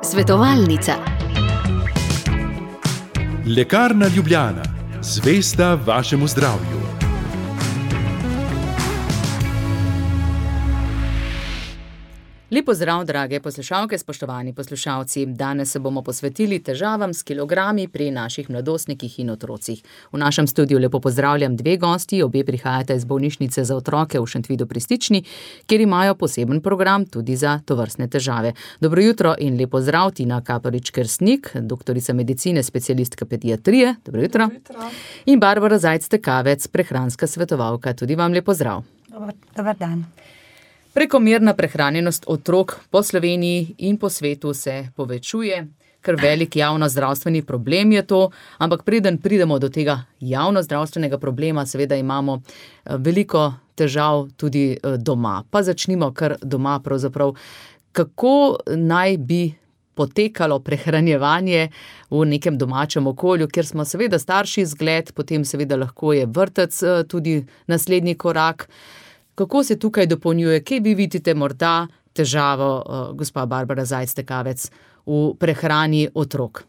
Svetovalnica. Lekarna Ljubljana, zvesta vašemu zdravju. Lep pozdrav, drage poslušalke, spoštovani poslušalci. Danes se bomo posvetili težavam s kilogrami pri naših mladostnikih in otrocih. V našem studiu lepo pozdravljam dve gosti, obe prihajata iz bolnišnice za otroke v Šentvidu pri Stični, kjer imajo poseben program tudi za tovrstne težave. Dobro jutro in lep pozdrav, Tina Kaparič-Kersnik, doktorica medicine, specialistka pediatrije. Dobro jutro. In Barbara Zajc-Tekavec, prehranska svetovalka. Tudi vam lep pozdrav. Dobar dan. Prekomerna prehranjenost otrok po Sloveniji in po svetu se povečuje, ker velik javnozdravstveni problem je to, ampak preden pridemo do tega javnozdravstvenega problema, seveda imamo veliko težav tudi doma. Pa začnimo kar doma pravzaprav. Kako naj bi potekalo prehranjevanje v nekem domačem okolju, kjer smo seveda starši zgled, potem seveda lahko je vrtec tudi naslednji korak. Kako se tukaj dopolnjuje? Kje vi vidite morda težavo, gospa Barbara Zajc-Tekavec, v prehrani otrok?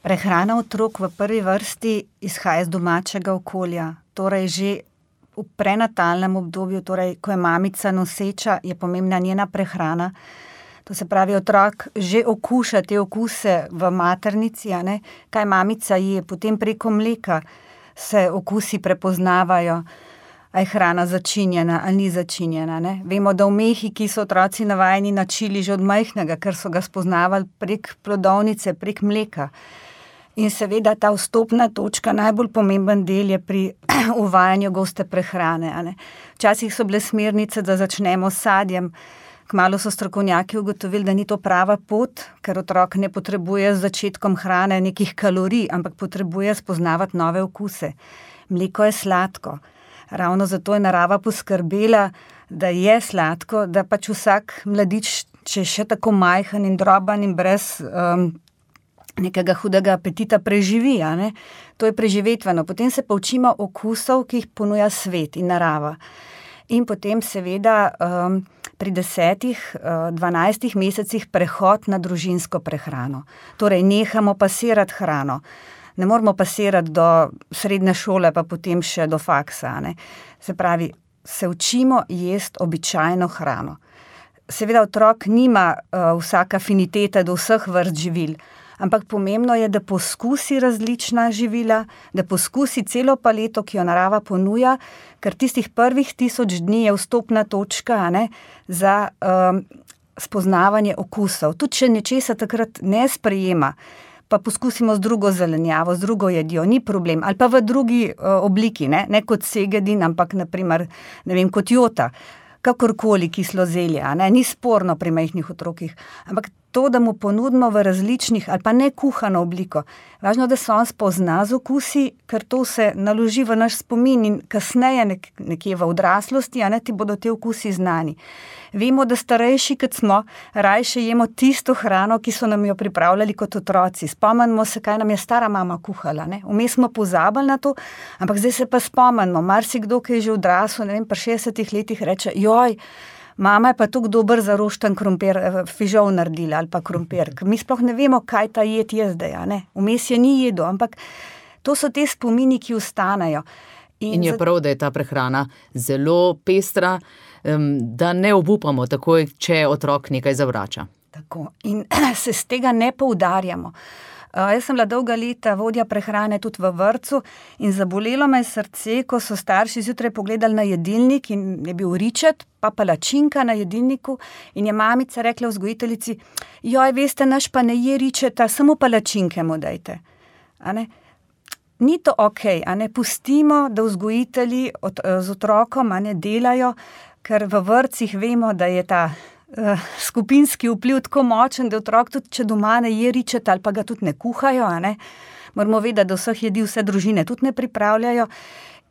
Prehrana otrok v prvi vrsti izhaja iz domačega okolja. Torej že v prenatalnem obdobju, torej ko je mamica noseča, je pomembna njena prehrana. To se pravi, otrok že okuša te okuse v maternici, kaj mamica je, potem preko mleka se okusi prepoznavajo. A je hrana začinjena ali ni začinjena. Vemo, da v Mehiki so otroci navajeni na čili že od majhnega, ker so ga spoznavali prek plodovnice, prek mleka. In seveda ta vstopna točka, najbolj pomemben del je pri uvajanju goste prehrane. Včasih so bile smernice, da začnemo s sadjem. Kmalu so strokovnjaki ugotovili, da ni to prava pot, ker otrok ne potrebuje z začetkom hrane nekih kalorij, ampak potrebuje spoznavati nove okuse. Mleko je sladko. Ravno zato je narava poskrbela, da je sladko, da pač vsak mladič, če je še tako majhen in droben in brez nekega hudega apetita, preživi. To je preživetveno. Potem se pa učimo okusov, ki jih ponuja svet in narava. In potem seveda pri 10-12 mesecih prehod na družinsko prehrano. Torej nehamo pasirati hrano. Ne moramo pasirati do srednje šole, pa potem še do faksa. Se pravi, se učimo jesti običajno hrano. Seveda otrok nima vsaka afiniteta do vseh vrst živil, ampak pomembno je, da poskusi različna živila, da poskusi celo paleto, ki jo narava ponuja, ker tistih prvih 1000 dni je vstopna točka za spoznavanje okusov. Tudi če nečesa takrat ne sprejema, pa poskusimo z drugo zelenjavo, z drugo jedjo, ni problem. Ali pa v drugi obliki, ne kot segedin, ampak naprimer, kot jota, kakorkoli kislo zelje, ni sporno pri majhnih otrokih. Ampak to, da mu ponudimo v različnih ali pa ne kuhano obliko. Važno, da se on spozna z okusi, ker to se naloži v naš spomin in kasneje nekje v odraslosti, ti bodo te okusi znani. Vemo, da starejši, kot smo, rajše jemo tisto hrano, ki so nam jo pripravljali kot otroci. Spomnimo se, kaj nam je stara mama kuhala. Vmes smo pozabili na to, ampak zdaj se pa spomnimo. Marsikdo, ki je že odrasel, pri 60 letih reče, joj, mama je pa tako dober za rošten krompir, fižol naredila ali pa krompir. Mi sploh ne vemo, kaj ta jed je zdaj. Vmes je ni jedo, ampak to so te spomini, ki ostanejo. In je prav, da je ta prehrana zelo pestra, da ne obupamo takoj, če otrok nekaj zavrača. Tako. In se z tega ne poudarjamo. Jaz sem bila dolga leta vodja prehrane tudi v vrtcu in zabolelo me srce, ko so starši zjutraj pogledali na jedilnik in je bil ričet, pa palačinka na jedilniku in je mamica rekla vzgojiteljici, joj, veste, naš pa ne je ričeta, samo palačinke mu dajte. Ni to okej, pustimo, da vzgojitelji z otrokom delajo, ker v vrtcih vemo, da je ta skupinski vpliv tako močen, da otrok tudi, če doma ne je ričet ali pa ga tudi ne kuhajo, moramo vedeti, da vseh jedi vse družine tudi ne pripravljajo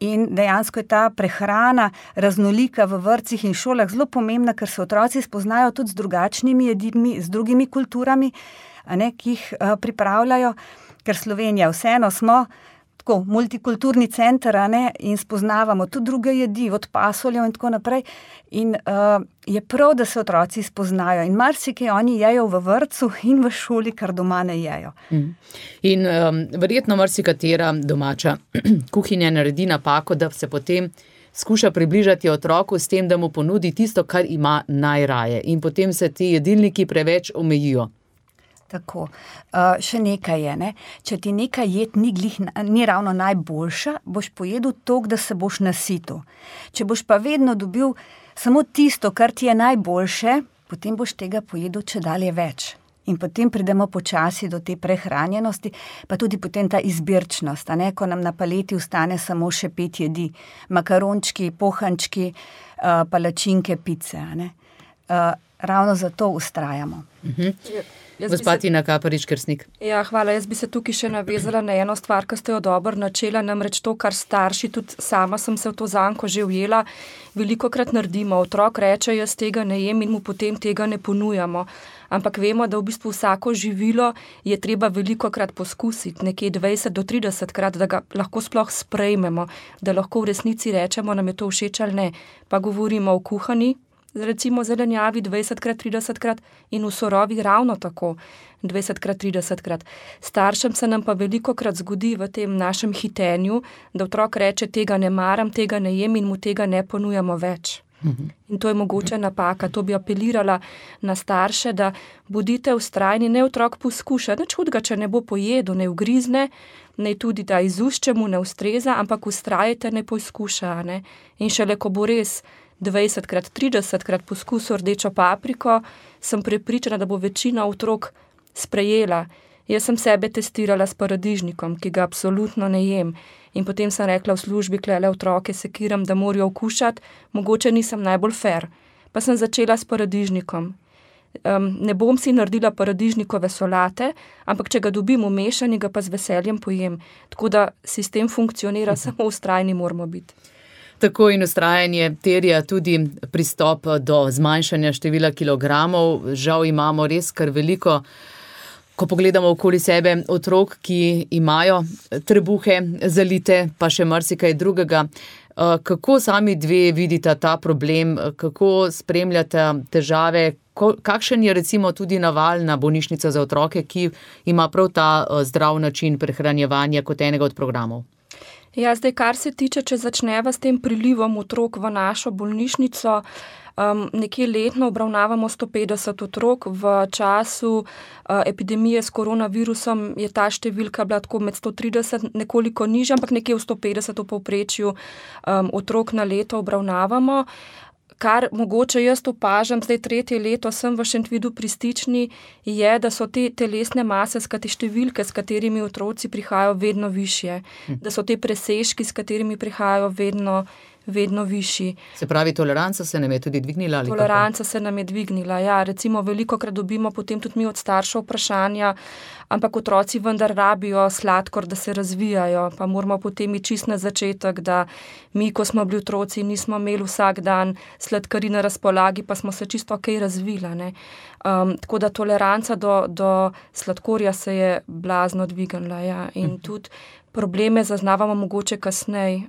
in dejansko je ta prehrana raznolika v vrtcih in šolah zelo pomembna, ker se otroci spoznajo tudi z drugačnimi jedmi, z drugimi kulturami, ki jih pripravljajo, ker Slovenija vseeno smo tako multikulturni center, in spoznavamo tudi druge jedi, od pasuljev in tako naprej. In je prav, da se otroci spoznajo. In marsikaj oni jejo v vrtcu in v šoli, kar doma ne jejo. In verjetno marsikatera domača kuhinja naredi napako, da se potem skuša približati otroku s tem, da mu ponudi tisto, kar ima najraje. In potem se ti jedilniki preveč omejijo. Tako. Še nekaj je, če ti nekaj jed ni ravno najboljša, boš pojedel toliko, da se boš nasitil. Če boš pa vedno dobil samo tisto, kar ti je najboljše, potem boš tega pojedel čedalje več. In potem pridemo počasi do te prehranjenosti, pa tudi potem ta izbirčnost, ko nam na paleti ostane samo še 5 jedi. Makarončki, pohančki, palačinke, pice. Ravno zato vztrajamo. Gospa Tina Kaparič-Kersnik. Ja, hvala. Jaz bi se tukaj še navezala na eno stvar, ki ste jo dobro načela, namreč to, kar starši, tudi sama sem se v to zanko že ujela, velikokrat naredimo. Otrok reče, jaz tega ne jem in mu potem tega ne ponujamo. Ampak vemo, da v bistvu vsako živilo je treba velikokrat poskusiti, nekje 20 do 30 krat, da ga lahko sploh sprejmemo, da lahko v resnici rečemo, nam je to všeč ali ne. Pa govorimo o kuhani, recimo zelenjavi 20krat, 30krat in v sorovi ravno tako 20krat, 30krat. Staršem se nam pa velikokrat zgodi v tem našem hitenju, da otrok reče, tega ne maram, tega ne jem in mu tega ne ponujamo več. In to je mogoče napaka. To bi apelirala na starše, da bodite vztrajni, ne otrok poskuša, nič hudega, če ne bo pojedel, ne ugrizne, ne tudi da iz ust, če mu ne ustreza, ampak vztrajite, ne poskuša. Ne? In šele, ko bo res 20krat, 30krat poskusil rdečo papriko, sem prepričana, da bo večina otrok sprejela. Jaz sem sebe testirala s paradižnikom, ki ga absolutno ne jem. In potem sem rekla v službi, klele otroke sekiram, da morajo okušati, mogoče nisem najbolj fair. Pa sem začela s paradižnikom. Ne bom si naredila paradižnikove solate, ampak če ga dobim umešani, ga pa z veseljem pojem. Tako da sistem funkcionira, samo vztrajni moramo biti. Tako in vztrajanje terja tudi pristop do zmanjšanja števila kilogramov. Žal imamo res kar veliko, ko pogledamo okoli sebe, otrok, ki imajo trebuhe zalite, pa še marsikaj drugega. Kako sami dve vidita ta problem, kako spremljate težave, kakšen je recimo tudi navalna bolnišnica za otroke, ki ima prav ta zdrav način prehranjevanja kot enega od programov? Ja, zdaj, kar se tiče, če začneva s tem prilivom otrok v našo bolnišnico, nekje letno obravnavamo 150 otrok. V času epidemije s koronavirusom je ta številka bila tako med 130, nekoliko nižja, ampak nekje v 150 v povprečju otrok na leto obravnavamo. Kar mogoče jaz opažam, zdaj 3. leto sem v Šentvidu pri Stični, je, da so te telesne mase, številke, s katerimi otroci prihajajo, vedno višje. Da so te presežki, s katerimi prihajajo, vedno višji. Se pravi, toleranca se nam je tudi dvignila? Toleranca se nam je dvignila, ja. Recimo, velikokrat dobimo potem tudi mi od staršev vprašanja, ampak otroci vendar rabijo sladkor, da se razvijajo, pa moramo potem iti čist na začetek, da mi, ko smo bili otroci, nismo imeli vsak dan sladkari na razpolagi, pa smo se čisto okej razvila. Tako da toleranca do sladkorja se je blazno dvignila, ja. In tudi probleme zaznavamo mogoče kasneje.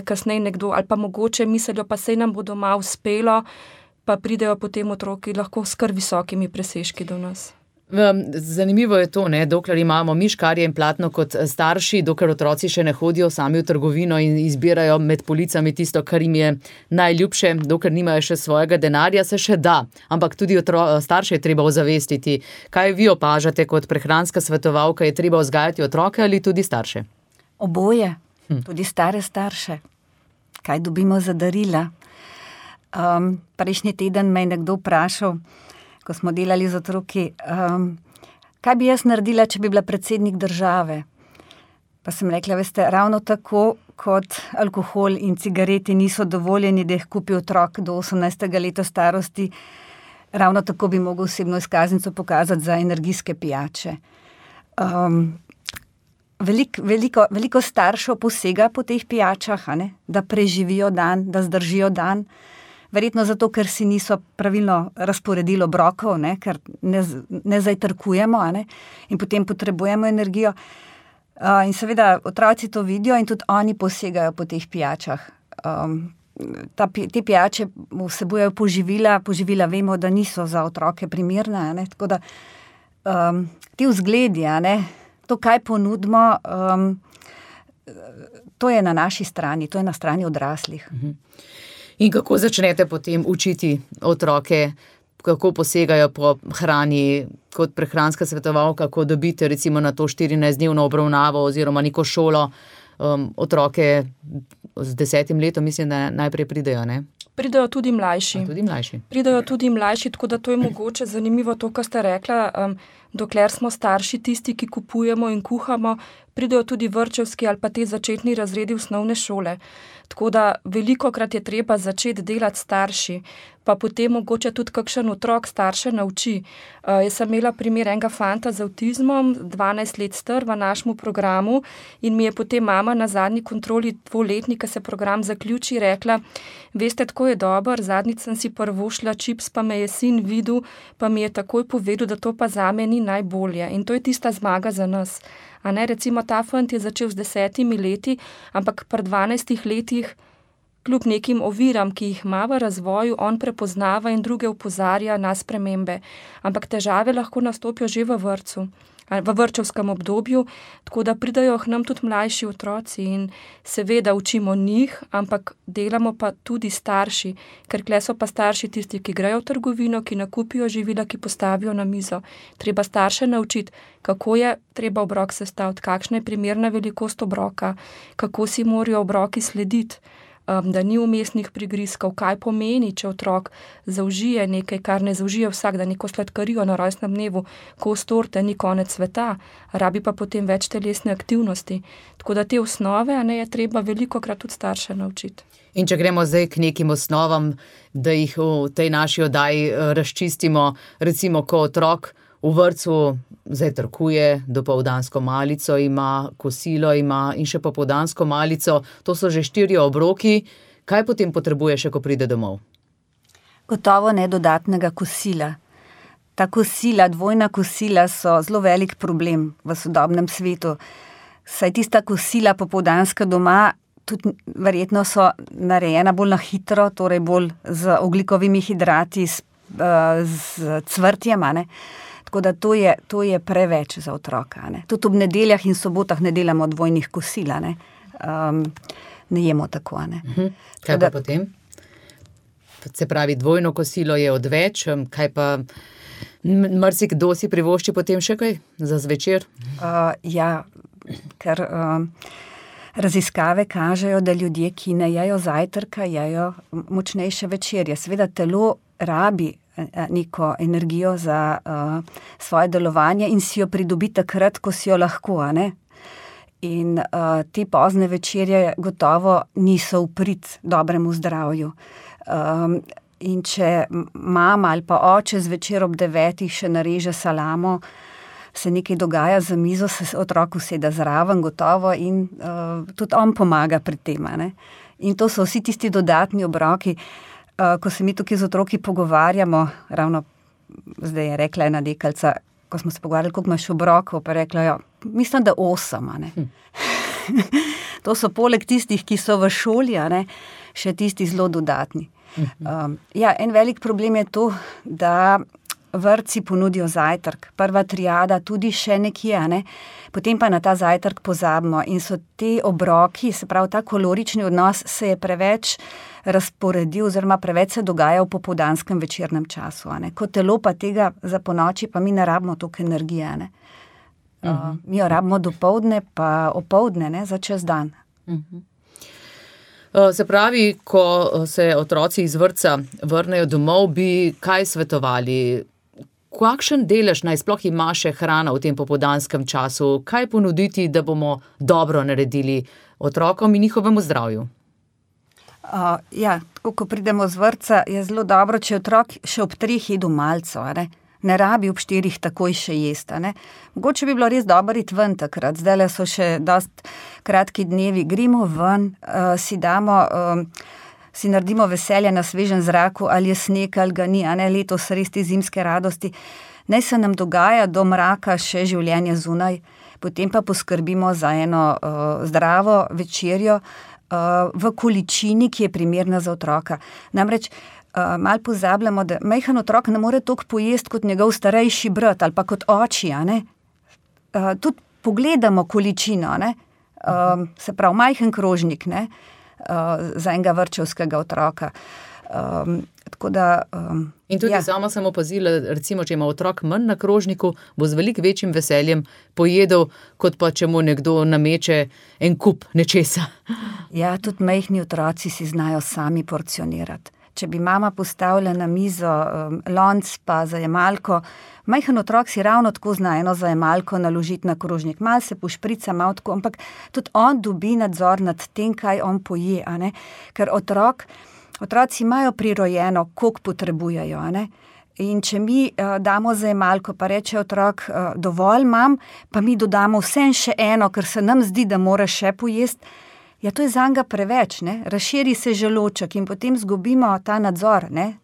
Kasneje nekdo, ali pa mogoče mislijo, pa sej nam bo doma uspelo, pa pridejo potem otroki lahko s kar visokimi presežki do nas. Zanimivo je to, dokler imamo mi škarje in platno kot starši, dokler otroci še ne hodijo sami v trgovino in izbirajo med policami tisto, kar jim je najljubše, dokler nimajo še svojega denarja, se še da. Ampak tudi starše je treba ozavestiti. Kaj vi opažate kot prehranska svetovalka, je treba vzgajati otroke ali tudi starše? Oboje. Tudi stare starše. Kaj dobimo za darila? Prejšnji teden me je nekdo vprašal, ko smo delali z otroki, kaj bi jaz naredila, če bi bila predsednik države? Pa sem rekla, veste, ravno tako kot alkohol in cigareti niso dovoljeni, da jih kupi otrok do 18. leta starosti, ravno tako bi mogel osebno izkaznico pokazati za energijske pijače. Veliko staršev posega po teh pijačah, da preživijo dan, da zdržijo dan. Verjetno zato, ker si niso pravilno razporedili obrokov, ker ne zajtrkujemo, in potem potrebujemo energijo. In seveda otroci to vidijo in tudi oni posegajo po teh pijačah. Te pijače vsebujejo poživila vemo, da niso za otroke primerne, ne? Tako da ti vzgledi, ne? To, kaj ponudimo, to je na naši strani, to je na strani odraslih. In kako začnete potem učiti otroke, kako posegajo po hrani, kot prehranska svetovalka, ko dobite recimo na to 14-dnevno obravnavo oziroma neko šolo, otroke z 10 letom, mislim, da najprej pridejo, ne? Pridejo tudi mlajši. Pridejo tudi mlajši, tako da to je mogoče zanimivo to, kar ste rekla, dokler smo starši tisti, ki kupujemo in kuhamo, pridejo tudi vrtčevski ali pa te začetni razredi osnovne šole. Tako da velikokrat je treba začeti delati starši, pa potem mogoče tudi kakšen otrok starše nauči. Jaz sem imela primer enega fanta z avtizmom, 12 let star v našemu programu in mi je potem mama na zadnji kontroli 2-letni, ko se program zaključi, rekla, veste, tako je dober, zadnjič sem si prvošla čips, pa me je sin videl, pa mi je takoj povedal, da to pa zame ni najbolje. In to je tista zmaga za nas. A ne, recimo ta fant je začel z 10 leti, ampak pri 12 letih, kljub nekim oviram, ki jih ima v razvoju, on prepoznava in druge opozarja na spremembe. Ampak težave lahko nastopijo že v vrtcu, v vrtčevskem obdobju, tako da pridajo k nam tudi mlajši otroci in seveda učimo njih, ampak delamo pa tudi starši, ker kle so pa starši tisti, ki grejo v trgovino, ki nakupijo živila, ki postavijo na mizo. Treba starše naučiti, kako je treba obrok sestaviti, kakšna je primerna velikost obroka, kako si morajo obroki slediti, da ni vmesnih prigrizkov, kaj pomeni, če otrok zaužije nekaj, kar ne zaužije vsak, da neko sladkarijo na rojstnem dnevu, kos torte ni konec sveta, rabi pa potem več telesne aktivnosti. Tako da te osnove, ne, je treba velikokrat tudi starše naučiti. In če gremo zdaj k nekim osnovam, da jih v tej naši oddaji razčistimo, recimo, ko otrok v vrtcu zajtrkuje, dopoldansko malico ima, kosilo ima in še popoldansko malico, to so že 4 obroki. Kaj potem potrebuje še, ko pride domov? Gotovo ne dodatnega kosila. Ta kosila, dvojna kosila so zelo velik problem v sodobnem svetu. Saj tista kosila popoldanska doma tudi verjetno so narejena bolj na hitro, torej bolj z ogljikovimi hidrati, z cvrtjem, ne? Tako da to je preveč za otroka. Ne? Tudi ob nedeljah in sobotah ne delamo dvojnih kosil, ne jemo tako. Ne? Kaj pa potem? Se pravi, dvojno kosilo je odveč, kaj pa marsikdo si privošči potem še kaj za zvečer? Ja, ker raziskave kažejo, da ljudje, ki ne jejo zajtrka, jejo močnejše večerje. Seveda telo rabi neko energijo za svoje delovanje in si jo pridobi takrat, ko si jo lahko, ne? In te pozne večerje gotovo niso v prid dobremu zdravju. In če mama ali pa oče zvečer ob 9 še nareže salamo, se nekaj dogaja za mizo, se otrok usede zraven gotovo in tudi on pomaga pri tem, ne? In to so vsi tisti dodatni obroki. Ko se mi tukaj z otroki pogovarjamo, ravno zdaj je rekla ena dekalica, ko smo se pogovarjali, koliko imaš obrokov, pa rekla, ja, mislim, da 8, ne. To so poleg tistih, ki so v šoli, ne, še tisti zelo dodatni. Ja, en velik problem je to, da vrtci ponudijo zajtrk, prva triada tudi še nekje, ne, potem pa na ta zajtrk pozabimo in so te obroki, se pravi, ta kalorični odnos se je preveč razporedil oziroma preveč se dogaja v popoldanskem večernem času, ne. Ko telo pa tega za ponoči, pa mi ne rabimo toliko energije, ne. Mi jo rabimo dopoldne pa opoldne, ne, za čez dan. Se pravi, ko se otroci iz vrtca vrnejo domov, bi kaj svetovali? Kakšen delež naj sploh ima še hrana v tem popoldanskem času? Kaj ponuditi, da bomo dobro naredili otrokom in njihovemu zdravju? Ja, tako ko pridemo z vrtca, je zelo dobro, če otrok še ob 3 jedu malico, ne rabi ob 4 takoj še jesti, ne. Mogoče bi bilo res dobro iti ven takrat, zdajle so še dosti kratki dnevi, gremo ven, si naredimo veselje na svežem zraku, ali je sneg, ali ga ni, a ne, letos res te zimske radosti. Naj se nam dogaja do mraka še življenje zunaj, potem pa poskrbimo za eno zdravo večerjo v količini, ki je primerna za otroka. Namreč malo pozabljamo, da majhen otrok ne more toliko pojesti kot njegov starejši brat ali pa kot oči, a ne? Tudi pogledamo količino, ne? Se pravi, majhen krožnik, ne? Za enega vrtčevskega otroka. Tako da, in tudi sama sem opazila, recimo, če ima otrok manj na krožniku, bo z veliko večjim veseljem pojedel, kot pa če mu nekdo nameče en kup nečesa. Ja, tudi majhni otroci si znajo sami porcionirati. Če bi mama postavila na mizo lonc pa zajemalko, majhen otrok si ravno tako zna eno zajemalko naložiti na krožnik. Mal se pošprica, malo tako, ampak tudi on dobi nadzor nad tem, kaj on poje, a ne? Ker otroci imajo prirojeno, koliko potrebujejo, a ne? In če mi damo zajemalko, pa reče otrok, dovolj imam, pa mi dodamo vsem še eno, ker se nam zdi, da mora še pojesti, ja, to je zanga preveč, ne? Razširi se želoček in potem zgubimo ta nadzor, ne?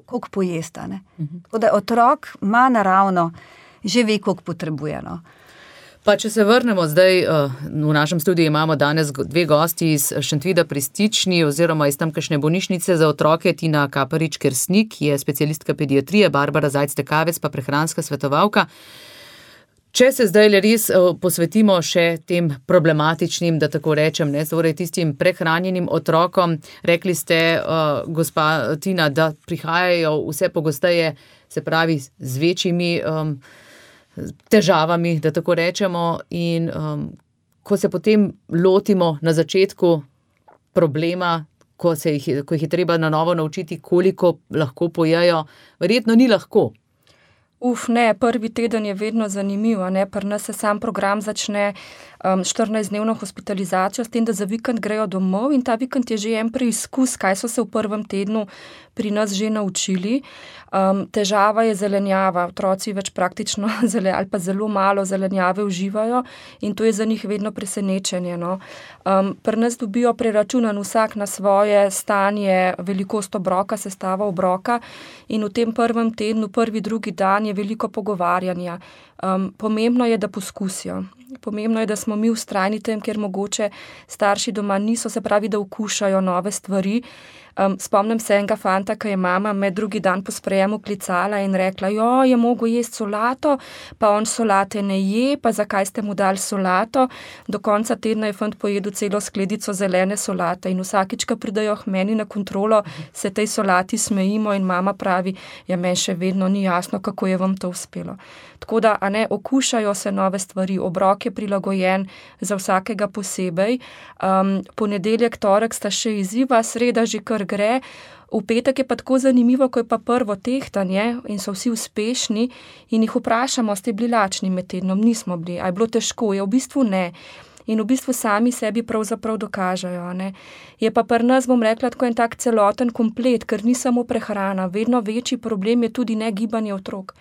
Koliko pojesta, ne? Tako da otrok ima naravno, že ve, koliko potrebuje, no. Pa če se vrnemo zdaj, v našem studiu imamo danes dve gosti iz Šentvida pri Stični oziroma iz tamkajšnje bolnišnice za otroke, Tina Kaparič-Kersnik, ki je specialistka pediatrije, Barbara Zajc-Tekavec pa prehranska svetovalka. Če se zdaj res posvetimo še tem problematičnim, da tako rečem, ne, torej tistim prehranjenim otrokom, rekli ste, gospa Tina, da prihajajo vse pogosteje, se pravi, z večjimi težavami, da tako rečemo, in ko se potem lotimo na začetku problema, ko jih je treba na novo naučiti, koliko lahko pojejo, verjetno ni lahko. Ne, prvi teden je vedno zanimiv, ne, pri nas se sam program začne 14-dnevno hospitalizacijo, s tem, da za vikend grejo domov in ta vikend je že en preizkus, kaj so se v prvem tednu pri nas že naučili. Težava je zelenjava, otroci več praktično ali pa zelo malo zelenjave uživajo in to je za njih vedno presenečenje, no. Pri nas dobijo preračunan vsak na svoje stanje, velikost obroka, sestava obroka in v tem prvem tednu, prvi, drugi dan je veliko pogovarjanja. Pomembno je, da poskusijo. Pomembno je, da smo mi vztrajni tem, ker mogoče starši doma niso, se pravi, da okušajo nove stvari. Spomnim se enega fanta, ki je mama med drugi dan po sprejemu klicala in rekla, je mogel jesti solato, pa on solate ne je, pa zakaj ste mu dali solato. Do konca tedna je fant pojedel celo skledico zelene solate in vsakič, ko pridejo k meni na kontrolo, se tej solati smejimo in mama pravi, meni še vedno ni jasno, kako je vam to uspelo. Tako da, okušajo se nove stvari, obrok je prilagojen za vsakega posebej. Ponedeljek, torek sta še izziva, sreda že kar gre. V petek je pa tako zanimivo, ko je pa prvo tehtanje in so vsi uspešni in jih vprašamo, ste bili lačni med tednom? Nismo bili. A je bilo težko? V bistvu ne. In v bistvu sami sebi pravzaprav dokažejo, ne. Je pa pri nas, bom rekla, tako en tak celoten komplet, ker ni samo prehrana. Vedno večji problem je tudi negibanje otrok.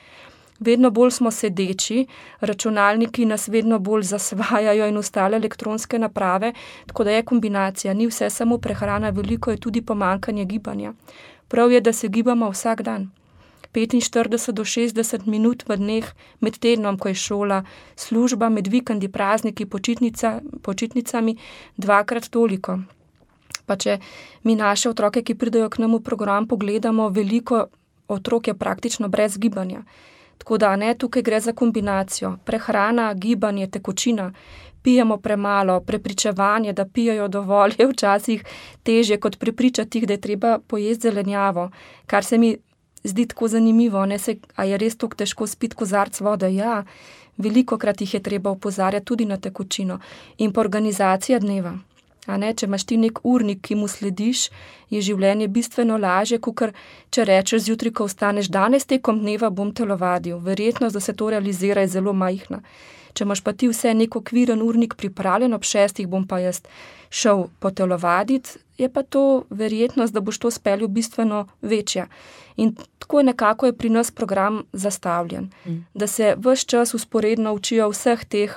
Vedno bolj smo sedeči, računalniki nas vedno bolj zasvajajo in ostale elektronske naprave, tako da je kombinacija, ni vse samo prehrana, veliko je tudi pomanjkanje gibanja. Prav je, da se gibamo vsak dan. 45 do 60 minut v dneh, med tednom, ko je šola, služba, med vikendi, prazniki, počitnicami, 2-krat toliko. Pa če mi naše otroke, ki pridejo k nam v program, pogledamo, veliko otrok je praktično brez gibanja. Tako da, tukaj gre za kombinacijo. Prehrana, gibanje, tekočina, pijemo premalo, prepričevanje, da pijejo dovolj, je včasih težje kot prepričati jih, da je treba pojesti zelenjavo, kar se mi zdi tako zanimivo, a je res tako težko spiti kozarec vode? Ja, velikokrat jih je treba opozarjati tudi na tekočino. In pa organizacija dneva. Če imaš ti nek urnik, ki mu slediš, je življenje bistveno lažje, kakor če rečeš zjutraj, ko vstaneš, danes tekom dneva bom telovadil. Verjetnost, da se to realizira, je zelo majhna. Če imaš pa ti vse nek okviren urnik pripravljen, ob 6 bom pa jaz šel potelovaditi, je pa to verjetnost, da boš to speljal bistveno večja. In tako nekako je pri nas program zastavljen, da se ves čas vzporedno učijo vseh teh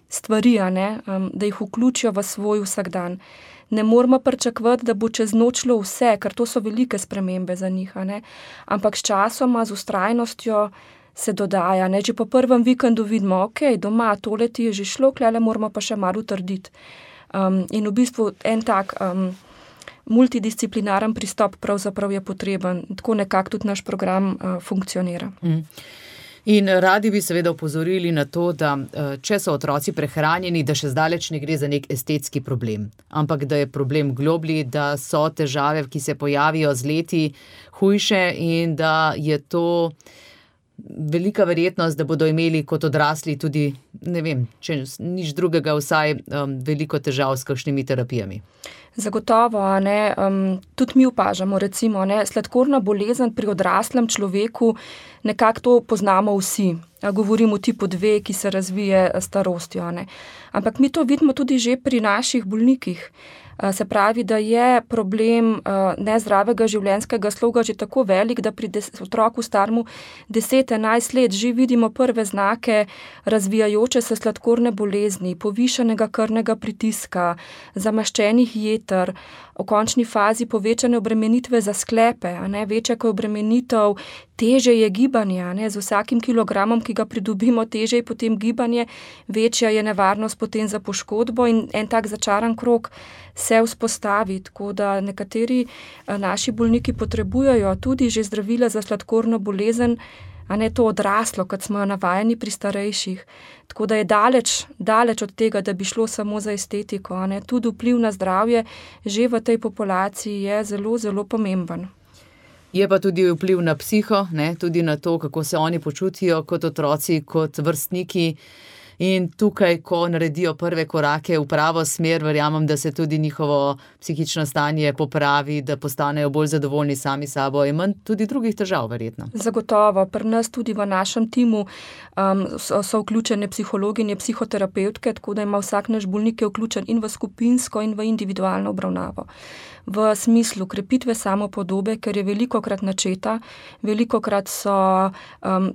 stvari, da jih vključijo v svoj vsakdan. Ne moramo pričakovati, da bo čez noč šlo vse, ker to so velike spremembe za njih, Ampak s časoma, z vztrajnostjo se dodaja. Ne? Že po prvem vikendu vidimo, ok, doma tole ti je že šlo, klele moramo pa še malo utrditi. In v bistvu en tak multidisciplinaren pristop pravzaprav je potreben. Tako nekako tudi naš program funkcionira. In radi bi seveda opozorili na to, da če so otroci prehranjeni, da še zdaleč ne gre za nek estetski problem, ampak da je problem globlji, da so težave, ki se pojavijo z leti, hujše in da je to velika verjetnost, da bodo imeli kot odrasli tudi, ne vem, če nič drugega, vsaj veliko težav s kakšnimi terapijami. Zagotovo, ne, tudi mi opažamo, recimo, ne, sladkorna bolezen pri odraslem človeku, nekako to poznamo vsi. Govorimo o tipu 2, ki se razvije starostjo. Ne. Ampak mi to vidimo tudi že pri naših bolnikih. Se pravi, da je problem nezdravega življenjskega sloga že tako velik, da pri otroku starmu 10-11 let že vidimo prve znake razvijajoče se sladkorne bolezni, povišanega krvnega pritiska, zamaščenih jeter, v končni fazi povečane obremenitve za sklepe, a ne, večja kot obremenitev, teže je gibanje, a ne, z vsakim kilogramom, ki ga pridobimo, teže je potem gibanje, večja je nevarnost potem za poškodbo in en tak začaran krog se vzpostavi, tako da nekateri naši bolniki potrebujejo tudi že zdravila za sladkorno bolezen, a ne to odraslo, kot smo jo navajeni pri starejših. Tako da je daleč od tega, da bi šlo samo za estetiko, a ne. Tudi vpliv na zdravje že v tej populaciji je zelo, zelo pomemben. Je pa tudi vpliv na psiho, ne, tudi na to, kako se oni počutijo kot otroci, kot vrstniki. In tukaj, ko naredijo prve korake v pravo smer, verjamem, da se tudi njihovo psihično stanje popravi, da postanejo bolj zadovoljni sami sabo in manj tudi drugih težav, verjetno. Zagotovo. Pri nas tudi v našem timu so vključene psihologinje, psihoterapevtke, tako da ima vsak naš bolnik vključen in v skupinsko in v individualno obravnavo. V smislu krepitve samopodobe, ker je velikokrat načeta, velikokrat so,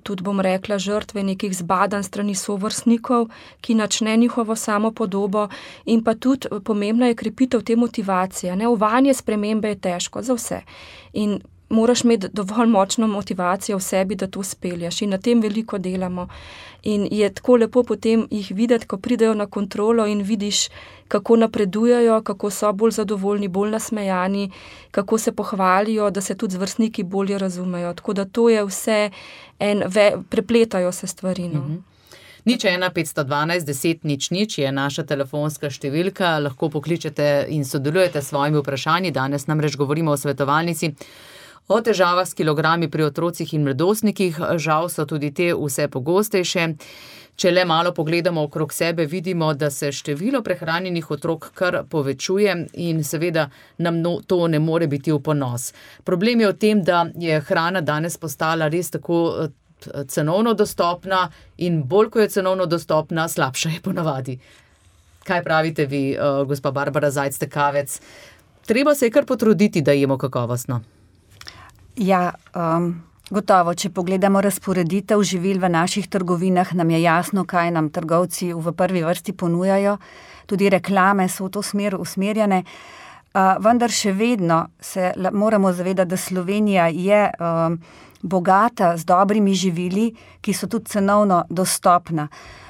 tudi bom rekla, žrtve nekih zbadanj strani sovrstnikov, ki načne njihovo samopodobo in pa tudi pomembna je krepitev te motivacije. Ne, uvajanje spremembe je težko za vse in moraš imeti dovolj močno motivacijo v sebi, da to spelješ in na tem veliko delamo. In je tako lepo potem jih videti, ko pridejo na kontrolo in vidiš, kako napredujejo, kako so bolj zadovoljni, bolj nasmejani, kako se pohvalijo, da se tudi z vrstniki bolje razumejo. Tako da to je vse prepletajo se stvari. No. 01 512 10 00 je naša telefonska številka, lahko pokličete in sodelujete s svojimi vprašanji. Danes namreč govorimo o svetovalnici, o težavah s kilogrami pri otrocih in mladostnikih. Žal so tudi te vse pogostejše. Če le malo pogledamo okrog sebe, vidimo, da se število prehranjenih otrok kar povečuje in seveda nam to ne more biti v ponos. Problem je v tem, da je hrana danes postala res tako cenovno dostopna in bolj, ko je cenovno dostopna, slabša je ponavadi. Kaj pravite vi, gospa Barbara Zajc-Tekavec? Treba se je kar potruditi, da jemo kakovostno. Ja, gotovo, če pogledamo razporeditev živil v naših trgovinah, nam je jasno, kaj nam trgovci v prvi vrsti ponujajo. Tudi reklame so v to smer usmerjene. Vendar še vedno se moramo zavedati, da Slovenija je bogata z dobrimi živili, ki so tudi cenovno dostopna.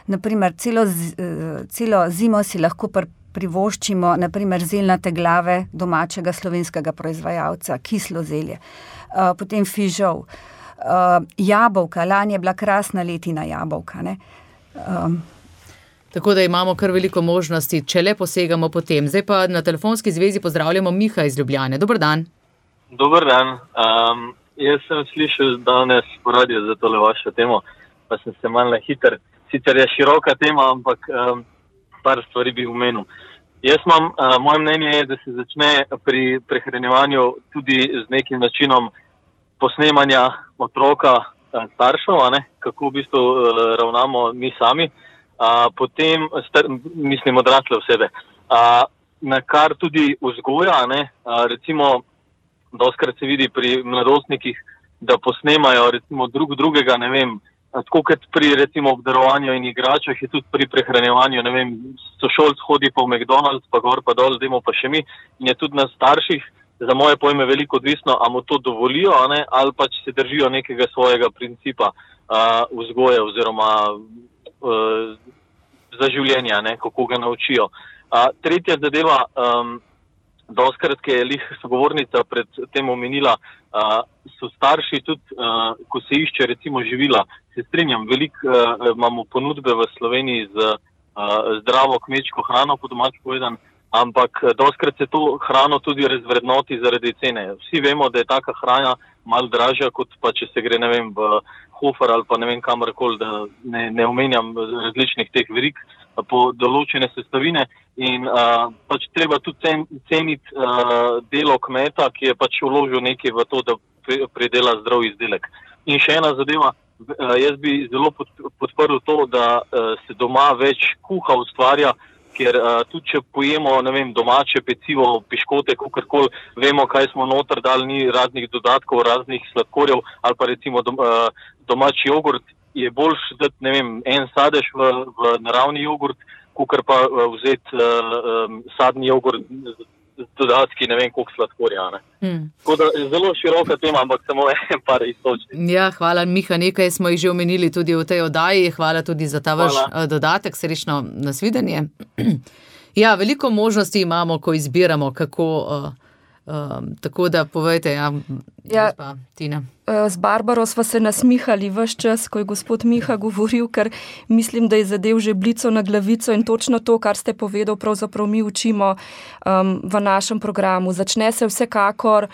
Naprimer, celo zimo si lahko privoščimo, naprimer, zeljnate glave domačega slovenskega proizvajalca, kislo zelje. Potem fižol, jabolka, lani je bila krasna letina jabolka. Ne? Tako da imamo kar veliko možnosti, če le posegamo po tem. Zdaj pa na telefonski zvezi pozdravljamo Miha iz Ljubljane. Dober dan. Dober dan. Jaz sem slišal danes po radiju za tole vašo temo, pa sem se malo hiter. Sicer je široka tema, ampak par stvari bi omenil. Moje mnenje je, da se začne pri prehranjevanju tudi z nekim načinom posnemanja otroka staršev, kako v bistvu ravnamo mi sami, potem, mislim, odrasle osebe, na kar tudi vzgoja, recimo, dostikrat se vidi pri mladostnikih, da posnemajo recimo drugega, ne vem, tako kot pri recimo obdarovanju in igračah je tudi pri prehranjevanju, ne vem, sošolc hodi po McDonald's, pa gor pa dol, dajmo pa še mi, in je tudi na starših za moje pojme veliko odvisno, a mu to dovolijo, ali pa če se držijo nekega svojega principa vzgoje oziroma za življenja, kako ga naučijo. Tretja zadeva, dostakrat, ki je sogovornica pred tem omenila, so starši tudi, ko se išče recimo živila. Se strinjam, veliko imamo ponudbe v Sloveniji z zdravo kmečko hrano, po domače povedan, ampak dostakrat se to hrano tudi razvrednoti zaradi cene. Vsi vemo, da je taka hrana malo dražja, kot pa če se gre, v Hofer ali pa kamorkoli, da ne omenjam različnih teh verig po določene sestavine in pač treba tudi ceniti delo kmeta, ki je pač vložil nekaj v to, da pridela zdrav izdelek. In še ena zadeva, jaz bi zelo podprl to, da se doma več kuha ustvarja, ker tudi če pojemo, domače pecivo, piškote, kakorkoli, vemo, kaj smo noter dali, ni raznih dodatkov, raznih sladkorjev, ali pa recimo domači jogurt, je boljš dati, en sadež v naravni jogurt, kakor pa vzeti sadni jogurt z dodatki, koliko sladkorja. Tako da je zelo široka tema, ampak samo en par iztočnic. Ja, hvala, Miha, nekaj smo jih že omenili tudi v tej oddaji, hvala tudi za ta vaš dodatek, srečno nasvidenje. Ja, veliko možnosti imamo, ko izbiramo, kako, tako da povejte, gospa Tina. Z Barbaro sva se nasmihali ves čas, ko je gospod Miha govoril, ker mislim, da je zadev že blico na glavico in točno to, kar ste povedal, pravzaprav mi učimo v našem programu. Začne se vsekakor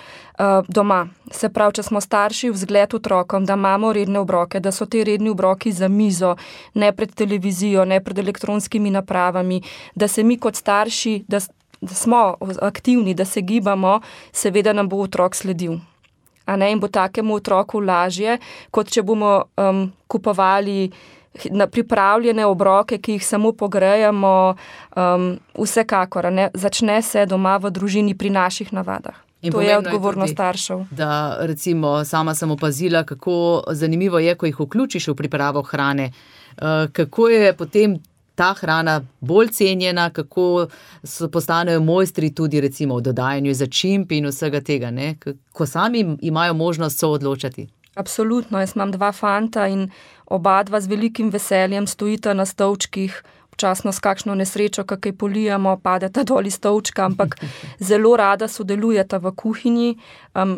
doma. Se pravi, če smo starši, vzgled otrokom, da imamo redne obroke, da so te redni obroki za mizo, ne pred televizijo, ne pred elektronskimi napravami, da se mi kot starši, da smo aktivni, da se gibamo, seveda nam bo otrok sledil. In bo takemu otroku lažje, kot če bomo kupovali pripravljene obroke, ki jih samo pogrejamo, vsekakor. Začne se doma v družini pri naših navadah. In to je odgovornost staršev. Da, recimo, sama sem opazila, kako zanimivo je, ko jih vključiš v pripravo hrane. Kako je potem ta hrana bolj cenjena, kako postanejo mojstri tudi recimo v dodajanju začimb in vsega tega, ko sami imajo možnost soodločati. Absolutno, jaz imam 2 fanta in oba z velikim veseljem stojita na stolčkih, občasno s kakšno nesrečo, kakaj polijamo, padeta dol iz stolčka, ampak zelo rada sodelujeta v kuhinji.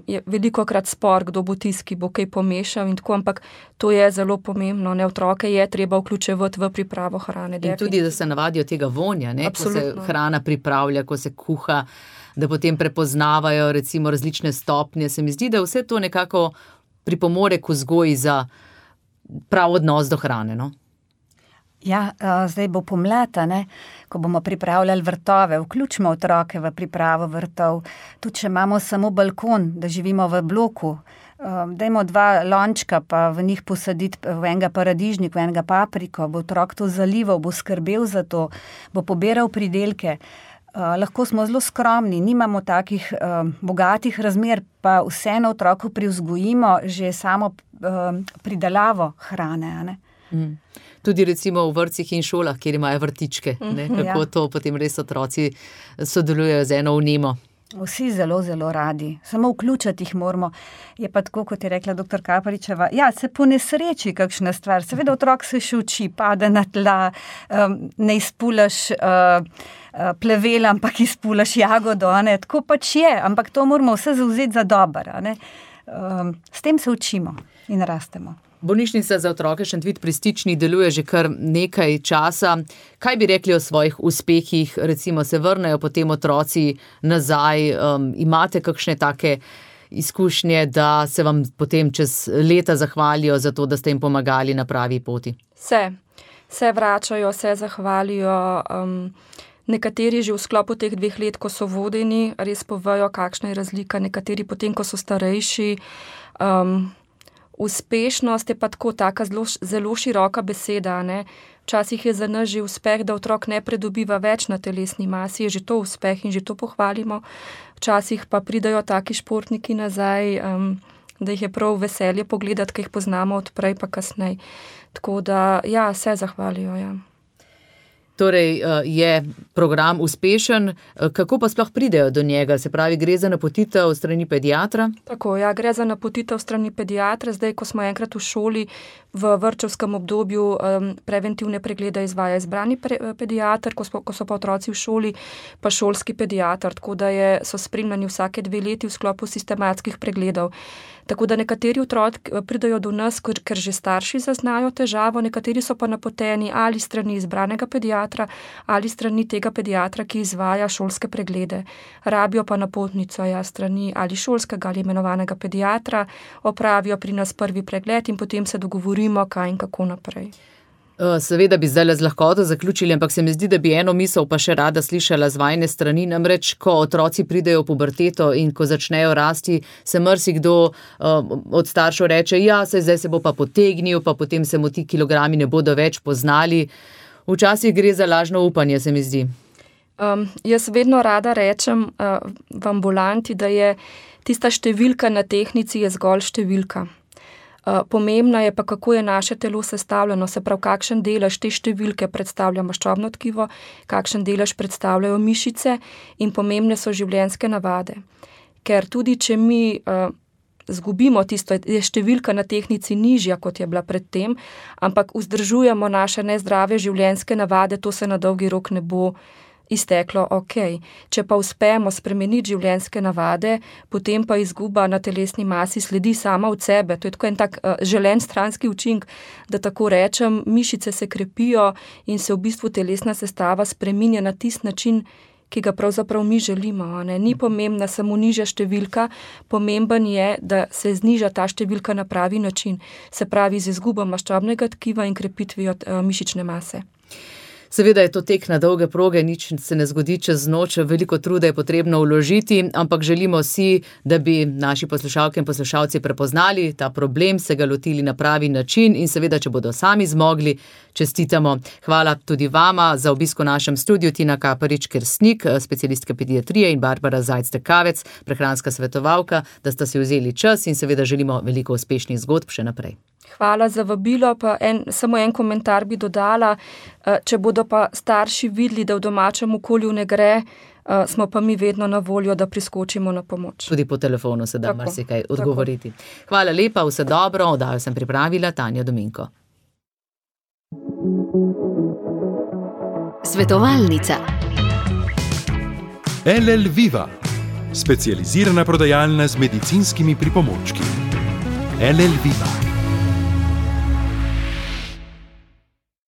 Je velikokrat spor, kdo bo tisti, ki bo kaj pomešal in tako, ampak to je zelo pomembno. Otroke je treba vključevati v pripravo hrane. In tudi, da se navadijo tega vonja, ko se hrana pripravlja, ko se kuha, da potem prepoznavajo recimo različne stopnje. Se mi zdi, da vse to nekako pripomore k vzgoji za prav odnos do hrane, Ja, zdaj bo pomlad, ko bomo pripravljali vrtove, vključimo otroke v pripravo vrtov. Tudi če imamo samo balkon, da živimo v bloku, dajmo 2 lončka, pa v njih posaditi v enega paradižnik, v enega papriko, bo otrok to zalival, bo skrbel za to, bo pobiral pridelke. Lahko smo zelo skromni, nimamo takih bogatih razmer, pa vseeno otroku privzgojimo že samo pridelavo hrane, Tudi recimo v vrtcih in šolah, kjer imajo vrtičke, kako to potem res otroci sodelujejo z eno vnemo. Vsi zelo, zelo radi. Samo vključiti jih moramo. Je pa tako, kot je rekla dr. Kaparičeva, se po nesreči kakšna stvar. Seveda otrok se še uči, pade na tla, ne izpulaš plevela, ampak izpulaš jagodo, tako pač je, ampak to moramo vse zavzeti za dobro. S tem se učimo in rastemo. Bolnišnica za otroke Šentvid pri Stični deluje že kar nekaj časa. Kaj bi rekli o svojih uspehih? Recimo se vrnejo potem otroci nazaj. Imate kakšne take izkušnje, da se vam potem čez leta zahvalijo za to, da ste jim pomagali na pravi poti? Se vračajo, se zahvalijo. Nekateri že v sklopu teh 2 let, ko so vodeni, res povejo, kakšna je razlika. Nekateri potem, ko so starejši. Uspešnost je pa taka zelo široka beseda. Včasih je za nas že uspeh, da otrok ne predobiva več na telesni masi, je že to uspeh in že to pohvalimo. Včasih pa pridajo taki športniki nazaj, da jih je prav veselje pogledati, ki jih poznamo od prej pa kasneje. Tako da, se zahvalijo, Torej je program uspešen. Kako pa sploh pridejo do njega? Se pravi, gre za napotitev strani pediatra? Tako, ja, gre za napotitev strani pediatra. Zdaj, ko smo enkrat v šoli, v vrtčevskem obdobju preventivne preglede izvaja izbrani pediater, ko so pa otroci v šoli, pa šolski pediater, tako da so spremljani vsake 2 leti v sklopu sistematskih pregledov. Tako da nekateri otroci pridajo do nas, ker že starši zaznajo težavo, nekateri so pa napoteni ali strani izbranega pediatra ali strani tega pediatra, ki izvaja šolske preglede. Rabijo pa napotnico strani ali šolskega ali imenovanega pediatra, opravijo pri nas prvi pregled in potem se dogovorimo, kaj in kako naprej. Seveda bi zdaj z lahkoto zaključili, ampak se mi zdi, da bi eno misel pa še rada slišala z vajne strani. Namreč, ko otroci pridejo v puberteto in ko začnejo rasti, se marsikdo od staršev reče, zdaj se bo pa potegnil, pa potem se mu ti kilogrami ne bodo več poznali. Včasih gre za lažno upanje, se mi zdi. Jaz vedno rada rečem v ambulanti, da je tista številka na tehtnici je zgolj številka. Pomembno je pa, kako je naše telo sestavljeno, se pravi, kakšen delež te številke predstavlja maščobno tkivo, kakšen delež predstavljajo mišice in pomembne so življenjske navade. Ker tudi, če mi zgubimo tisto, je številka na tehtnici nižja, kot je bila predtem, ampak vzdržujemo naše nezdrave življenjske navade, to se na dolgi rok ne bo izteklo, Če pa uspemo spremeniti življenjske navade, potem pa izguba na telesni masi sledi sama od sebe. To je tako en tak želen stranski učinek, da tako rečem, mišice se krepijo in se v bistvu telesna sestava spreminja na tisti način, ki ga pravzaprav mi želimo. Ni pomembna samo nižja številka, pomemben je, da se zniža ta številka na pravi način, se pravi z izgubo maščobnega tkiva in krepitvijo mišične mase. Seveda je to tek na dolge proge, nič se ne zgodi čez noč, veliko truda je potrebno vložiti, ampak želimo si, da bi naši poslušalke in poslušalci prepoznali ta problem, se ga lotili na pravi način in seveda, če bodo sami zmogli, čestitamo. Hvala tudi vama za obisk v našem studiu, Tina Kaparič-Kersnik, specialistka pediatrije in Barbara Zajc-Tekavec, prehranska svetovalka, da sta si vzeli čas in seveda želimo veliko uspešnih zgodb še naprej. Hvala za vabilo, pa samo en komentar bi dodala. Če bodo pa starši videli, da v domačem okolju ne gre, smo pa mi vedno na voljo, da priskočimo na pomoč. Tudi po telefonu se da marsikaj odgovoriti. Hvala lepa, vse dobro, oddajo sem pripravila Tanja Dominko. Svetovalnica. LL Viva, specializirana prodajalna z medicinskimi pripomočki. LL Viva.